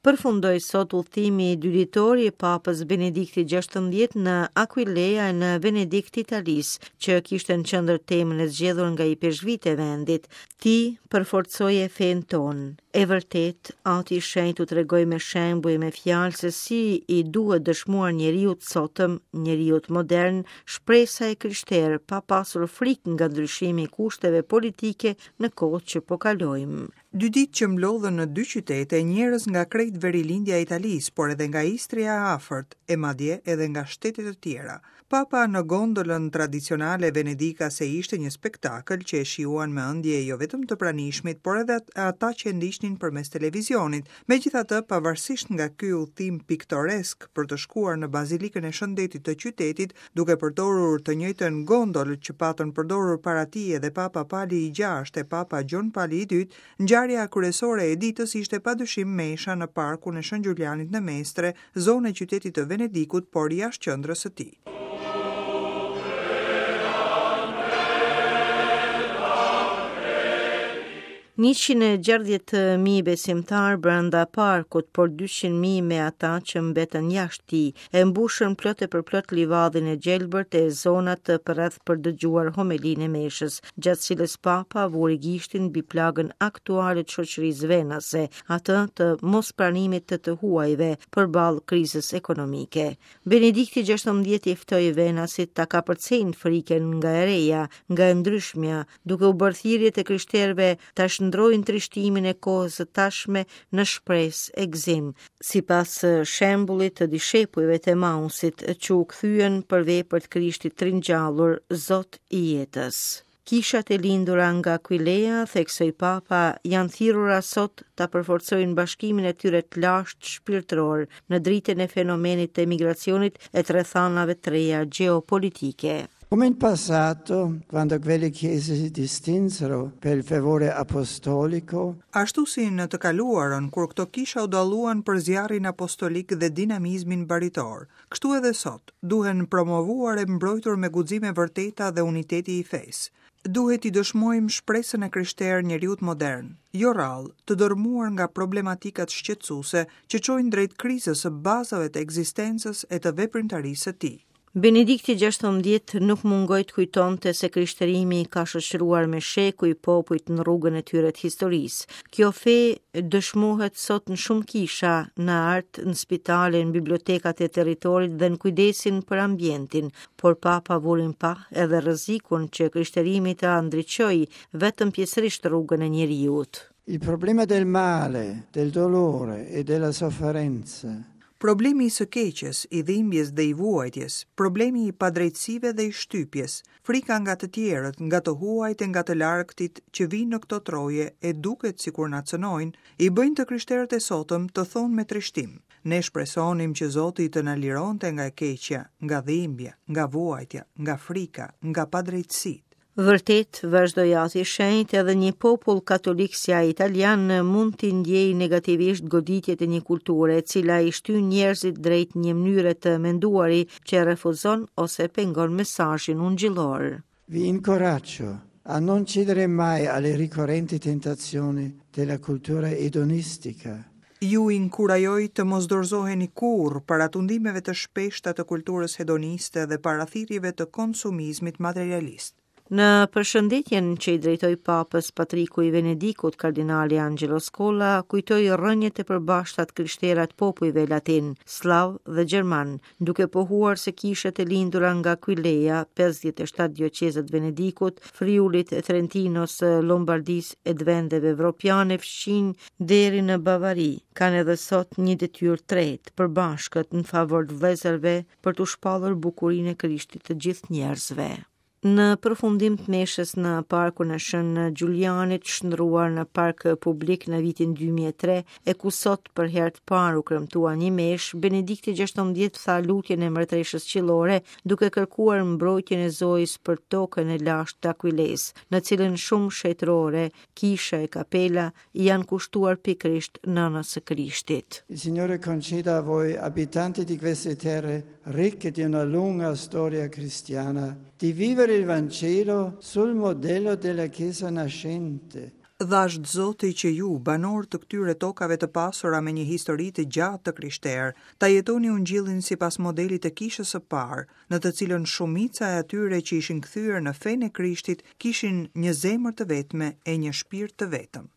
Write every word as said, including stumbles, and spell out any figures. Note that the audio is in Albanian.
Përfundoi sot udhëtimi dyditor i Papës Benedikti gjashtëmbëdhjetë në Aquileia në Venedik të Italisë, që kishte në qendër temën e zgjedhur nga ipeshkvit e vendit. Ti përforcoje fenë tonë. E vërtet, Ati i Shenjtë u tregoi me shembuj e me fjalë se si i duhet dëshmuar njeriut sotëm, njeriut modern, shpresa e krishterë pa pasur frikë nga ndryshimi i kushteve politike në kohë që po kalojmë. Dy ditë që mblodhën në dy qytete njerëz nga krejt verilindja e Italisë, por edhe nga Istria e afërt, e madje edhe nga shtete të tjera. Papa në gondolën tradicionale venedikase ishte një spektakël që e shijuan me ëndje jo vetëm të pranishmit, por edhe ata që e ndiqnin përmes televizionit. Megjithatë, pavarësisht nga ky udhtim piktoresk për të shkuar në Bazilikën e Shëndetit të qytetit, duke përdorur të njëjtën gondolë që patën përdorur para tij edhe Papa Pali i gjashtë e Papa Gjon Pali i dytë, ngjarja kryesore e ditës ishte padyshim mesha në parkun e Shën Giulianit në Mestre, zonë e qytetit të Venedikut, por jashtë qendrës së tij. njëqind e gjashtëdhjetë mijë besimtar brenda parkut, por dyqind mijë me ata që mbetën jashtë tij, e mbushën plot e përplot livadhin e gjelbërt e zonat përreth për dëgjuar homelinë e meshës, gjatë cilës Papa vuri gishtin mbi plagën aktuale të shoqërisë venase, atë të mospranimit të të huajve përballë krizës ekonomike. Benedikti gjashtëmbëdhjetë i ftoi venasit ta kapërcejnë frikën nga e reja, nga e ndryshmja, duke u bërë thirrje të krishterëve ta shndrojnë trishtimin e kohës së tashme në shpresë e gëzim, sipas shembullit të dishepujve të Emausit që u kthyen për vepër të Krishtit të ringjallur, Zot i jetës. Kishat e lindura nga Aquileia, theksoi Papa, janë thirrura sot ta përforcojnë bashkimin e tyre të lashtë shpirtëror në dritën e fenomenit të emigracionit e të rrethanave të reja gjeopolitike. Come in passato, quando quelle chiese si distinsero per il fervore apostolico, ashtu si në të kaluarën, kur këto kisha u dalluan për zjarrin apostolik dhe dinamizmin baritor, kështu edhe sot, duhen promovuar e mbrojtur me guxime vërteta dhe uniteti i fesë. Duhet i dëshmojmë shpresën e krishterë njeriut modern, jo rrallë, të dërmuar nga problematikat shqetësuese që çojnë drejt krizës së bazave të ekzistencës e të veprimtarisë së tij. Benedikti gjashtëmbëdhjetë nuk mungoi të kujtonte se krishterimi ka shoqëruar me shekuj popujt në rrugën e tyre të historisë. Kjo fe dëshmohet sot në shumë kisha, në art, në spitale, në bibliotekat e territorit dhe në kujdesin për ambientin, por Papa vuri në pah edhe rrezikun që krishterimi ta ndriçojë vetëm pjesërisht rrugën e njeriut. Il problema del male, del dolore e della sofferenza. Problemi i së keqes, i dhimbjes dhe i vuajtjes, problemi i padrejtësive dhe i shtypjes, frika nga të tjerët, nga të huajt e nga të largëtit që vijnë në këto troje e duket sikur na cënojnë, i bëjnë të krishterët e sotëm të thonë me trishtim. Ne shpresonim që Zoti të na lironte nga e keqja, nga dhimbja, nga vuajtja, nga frika, nga padrejtësitë. Vërtet, vazhdoi Ati i Shenjtë, edhe një popull katolik si ai italian mund t'i ndjejë negativisht goditjet e një kulture, e cila i shtyn njerëzit drejt një mënyre të menduari që refuzon ose pengon mesazhin ungjillor. Vi incoraggio a non cedere mai alle ricorrenti tentazioni della cultura edonistica. Ju inkurajoj të mos dorëzoheni kurrë para tundimeve të shpeshta të kulturës hedoniste dhe para thirrjeve të konsumizmit materialist. Në përshëndetjen që i drejtoi Papës Patriku i Venedikut, kardinali Angelo Scola kujtoi rrënjët e përbashkëta të krishtera të popujve latin, slav dhe gjerman, duke pohuar se kishat e lindura nga Aquileia, pesëdhjetë e shtatë dioqezat Venedikut, Friulit, Trentinos, Lombardisë e të vendeve evropiane fqinj deri në Bavari, kanë edhe sot një detyrë tretë përbashkët në favor të vëllezërve për të shpallur bukurinë e Krishtit të gjithë njerëzve. Në përfundim të meshës në parkun e Shën Giulianit, shndruar në park publik në vitin dy mijë e tre, e ku sot për herë të parë u kremtua një meshë, Benedikti gjashtëmbëdhjetë tha lutjen e mbretëreshës qiellore, duke kërkuar mbrojtjen e Zojës për tokën e lashtë të Aquiles, në cilën shumë shetërore, kisha e kapela i janë kushtuar pikërisht nënës së Krishtit. Il Signore conceda a voi, abitanti di queste terre ricche di una lunga storia cristiana, di vivere il Vangelo sul modello della Chiesa nascente. Dhashtë Zoti që ju, banorë të këtyre tokave të pasura me një histori të gjatë të krishterë, ta jetoni ungjillin sipas modelit të kishës së parë, në të cilën shumica e atyre që ishin kthyer në fenë e Krishtit kishin një zemër të vetme e një shpirt të vetëm.